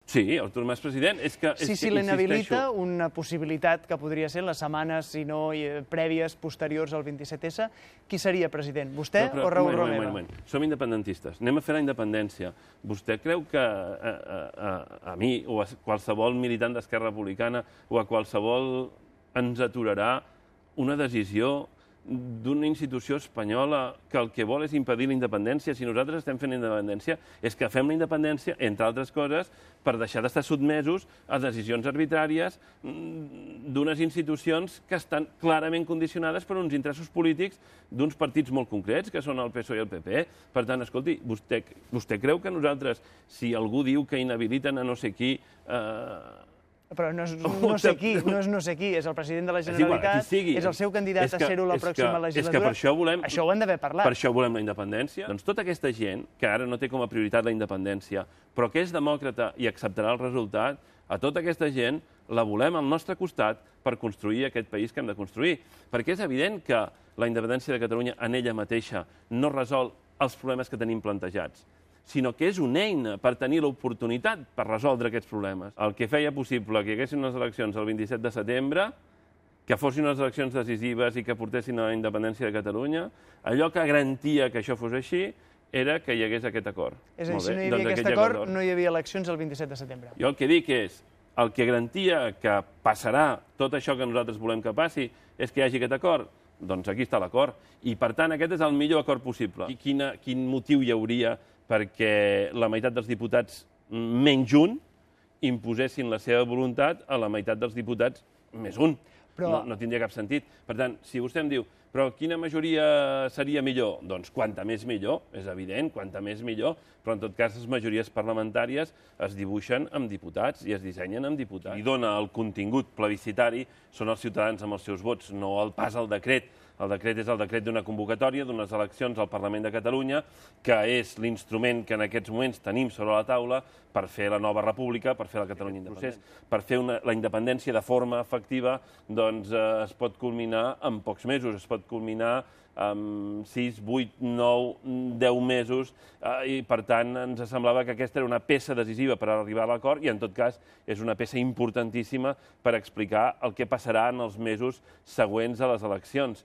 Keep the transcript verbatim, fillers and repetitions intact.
Sí, Artur Mas president. Si se l'inhabilita, una possibilitat que podria ser en les setmanes, si no prèvies, posteriors al vint-i-set esse, qui seria president? Vostè o Raül Romeva? Som independentistes. Anem a fer la independència. Vostè creu que a mi o a qualsevol militant d'Esquerra Republicana o a qualsevol ens aturarà una decisió d'una institució espanyola que el que vol és impedir la independència? Si nosaltres estem fent la independència, és que fem la independència, entre altres coses, per deixar d'estar sotmesos a decisions arbitràries d'unes institucions que estan clarament condicionades per uns interessos polítics d'uns partits molt concrets, que són el P S O E i el P P. Per tant, escolti, vostè creu que nosaltres, si algú diu que inhabiliten a no sé qui... Però no és no sé qui, no és no sé qui, és el president de la Generalitat, és el seu candidat a ser-ho la pròxima legislatura. És que per això volem... Això ho hem d'haver parlat. Per això volem la independència. Doncs tota aquesta gent, que ara no té com a prioritat la independència, però que és demòcrata i acceptarà el resultat, a tota aquesta gent la volem al nostre costat per construir aquest país que hem de construir. Perquè és evident que la independència de Catalunya en ella mateixa no resol els problemes que tenim plantejats, sinó que és una eina per tenir l'oportunitat per resoldre aquests problemes. El que feia possible que hi haguessin unes eleccions el vint-i-set de setembre, que fossin unes eleccions decisives i que portessin a la independència de Catalunya, allò que garantia que això fos així era que hi hagués aquest acord. És a dir, si no hi havia aquest acord, no hi havia eleccions el vint-i-set de setembre. Jo el que dic és, el que garantia que passarà tot això que nosaltres volem que passi és que hi hagi aquest acord. Doncs aquí està l'acord. I, per tant, aquest és el millor acord possible. I quin motiu hi hauria perquè la meitat dels diputats menys un imposessin la seva voluntat a la meitat dels diputats més un. No tindria cap sentit. Per tant, si vostè em diu, però quina majoria seria millor? Doncs quanta més millor, és evident, quanta més millor, però en tot cas les majories parlamentàries es dibuixen amb diputats i es dissenyen amb diputats. Qui dona el contingut plebiscitari són els ciutadans amb els seus vots, no el pas al decret. El decret és el decret d'una convocatòria, d'unes eleccions al Parlament de Catalunya, que és l'instrument que en aquests moments tenim sobre la taula per fer la nova república, per fer la Catalunya independent. Per fer la independència de forma efectiva, doncs es pot culminar en pocs mesos, es pot culminar en sis, vuit, nou, deu mesos, i per tant ens semblava que aquesta era una peça decisiva per arribar a l'acord i en tot cas és una peça importantíssima per explicar el que passarà en els mesos següents a les eleccions.